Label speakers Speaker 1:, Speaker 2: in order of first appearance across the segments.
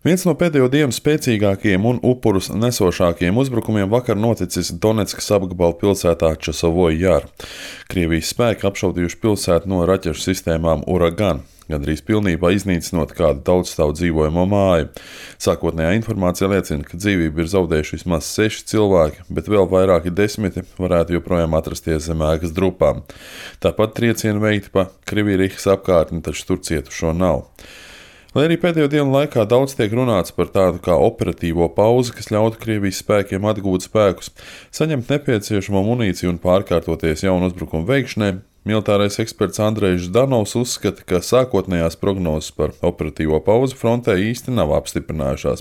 Speaker 1: Viens no pēdējo dienu spēcīgākajiem un upurus nesošākajiem uzbrukumiem vakar noticis Doneckas apgabala pilsētā Časavoja Jāra. Krievijas spēki apšaudījuši pilsētu no raķešu sistēmām Uragan, gandrīz pilnībā iznīcinot kādu daudzstāvu dzīvojamo māju. Sākotnējā informācija liecina, ka dzīvību ir zaudējuši vismaz 6 cilvēki, bet vēl vairāki desmiti varētu joprojām atrasties zem ēkas drupām. Tāpat triecieni veikti pa Krivirihas apkārtni, taču tur cietušo nav. Lai arī pēdējo dienu laikā daudz tiek runāts par tādu kā operatīvo pauzi, kas ļautu Krievijas spēkiem atgūt spēkus, saņemt nepieciešamo munīciju un pārkārtoties jaunu uzbrukumu veikšanai, militārais eksperts Andrejs Ždanovs uzskata, ka sākotnējās prognozes par operatīvo pauzi frontē īsti nav apstiprinājušās.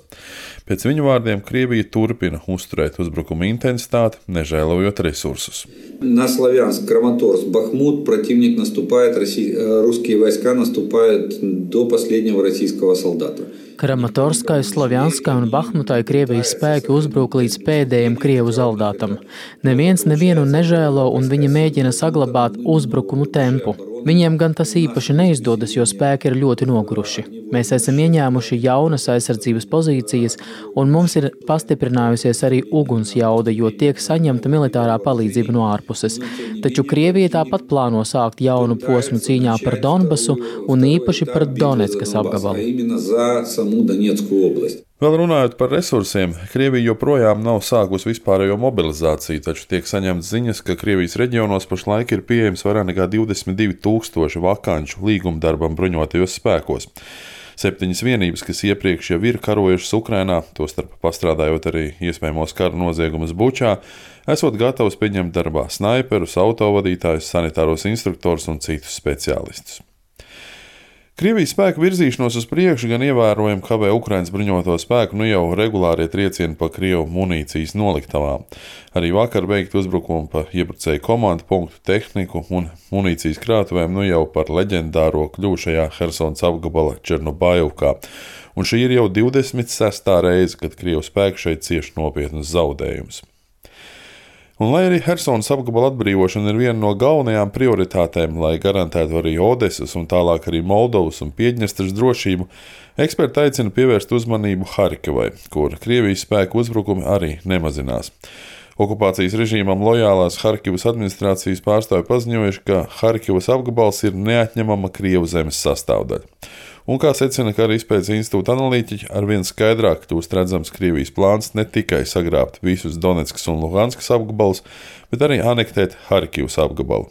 Speaker 1: Pēc viņu vārdiem Krievija turpina uzturēt uzbrukuma intensitāti, nežēlojot resursus.
Speaker 2: На Славянск, Краматорск, Бахмут противник наступает, русские войска наступают до последнего российского солдата.
Speaker 3: Kramatorskai, Slavjanskai un Bahmutai Krievijas spēki uzbruk līdz pēdējiem krievu zaldātam. Neviens nevienu nežēlo un viņi mēģina saglabāt uzbrukumu tempu. Viņiem gan tas īpaši neizdodas, jo spēki ir ļoti noguruši. Mēs esam ieņēmuši jaunas aizsardzības pozīcijas un mums ir pastiprinājusies arī uguns jauda, jo tiek saņemta militārā palīdzība no ārpuses. Taču Krievija tāpat plāno sākt jaunu posmu cīņā par Donbasu un īpaši par Doneckas apgabalu.
Speaker 1: Vēl runājot par resursiem, Krievija joprojām nav sākusi vispārējo mobilizāciju, taču tiek saņemts ziņas, ka Krievijas reģionos pašlaik ir pieejams vairāk nekā 22,000 vakanču līgumdarbam bruņotajos spēkos. 7 vienības, kas iepriekš jau ir karojušas Ukrainā, tostarp pastrādājot arī iespējamos kara noziegumus Bučā, esot gatavs pieņemt darbā snaiperus, autovadītājus, sanitāros instruktorus un citus speciālistus. Krievijas spēku virzīšanos uz priekšu gan ievērojami kavē Ukrainas bruņoto spēku jau regulārie triecieni pa Krievu munīcijas noliktavām. Arī vakar veikti uzbrukumi pa iebrucēju komandu punktu tehniku un munīcijas krātuvēm jau par leģendāro kļūšajā Hersonas apgabala Černobaivkā. Un šī ir jau 26. reize, kad Krievu spēki šeit cieš nopietnus zaudējumus. Un lai arī Hersonas apgabala atbrīvošana ir viena no galvenajām prioritātēm, lai garantētu arī Odesas un tālāk arī Moldovas un Piedņestras drošību, eksperti aicina pievērst uzmanību Harkivai, kur Krievijas spēku uzbrukumi arī nemazinās. Okupācijas režīmam lojālās Harkivas administrācijas pārstāvji paziņojuši, ka Harkivas apgabals ir neatņemama Krievu zemes sastāvdaļa. Un, kā secina Kara izpētes institūta analītiķi, arvien skaidrāk kļūst redzams Krievijas plāns ne tikai sagrābt visus Doneckas un Luhanskas apgabalus, bet arī anektēt Harkivas apgabalu.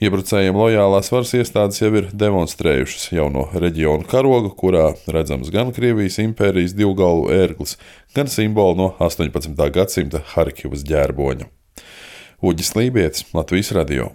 Speaker 1: Iebrucējiem lojālās varas iestādes jau ir demonstrējušas jauno reģionu karogu, kurā redzams gan Krievijas impērijas divgalvu ērglis, gan simbolu no 18. gadsimta Harkivas ģērboņa. Uģis Lībietis, Latvijas radio.